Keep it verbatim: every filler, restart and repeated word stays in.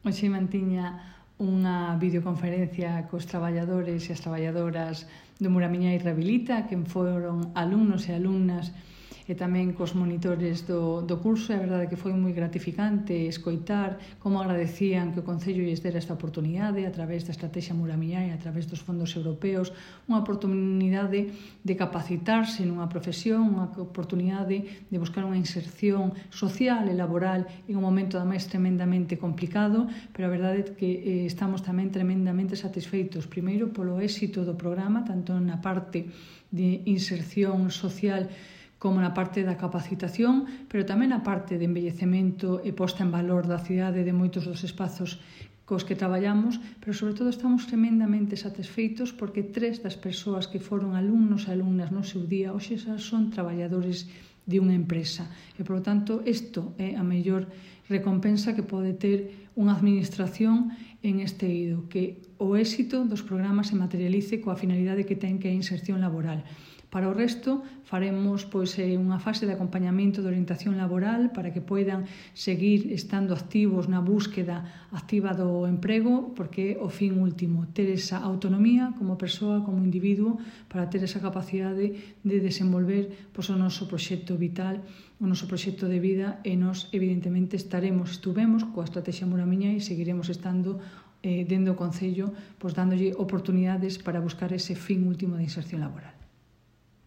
Hoxe mantiña unha videoconferencia cos traballadores e as traballadoras do Muramiñai Rehabilita, que foron alumnos e alumnas e tamén cos monitores do, do curso. E a verdade que foi moi gratificante escoitar como agradecían que o Concello lles dera esta oportunidade a través da Estrategia Muramiñai, a través dos fondos europeos, unha oportunidade de capacitarse nunha profesión, unha oportunidade de buscar unha inserción social e laboral en un momento ademais tremendamente complicado, pero a verdade é que eh, estamos tamén tremendamente satisfeitos, primeiro polo éxito do programa, tanto na parte de inserción social como na parte da capacitación, pero tamén na parte de embellecemento e posta en valor da cidade de moitos dos espazos cos que traballamos, pero sobre todo estamos tremendamente satisfeitos porque tres das persoas que foron alumnos e alumnas no seu día hoxe xa son traballadores de unha empresa. E, por lo tanto, isto é a mellor recompensa que pode ter unha administración en este eido, que o éxito dos programas se materialice coa finalidade que ten, que é a inserción laboral. Para o resto, faremos pois, unha fase de acompañamento de orientación laboral para que poidan seguir estando activos na búsqueda activa do emprego, porque é o fin último, ter esa autonomía como persoa, como individuo, para ter esa capacidade de desenvolver pois, o noso proxecto vital, o noso proxecto de vida, e nós, evidentemente, estaremos, estuvemos coa Estrategia Muramiñai e seguiremos estando eh, dentro do Concello, pois, dándolle oportunidades para buscar ese fin último de inserción laboral.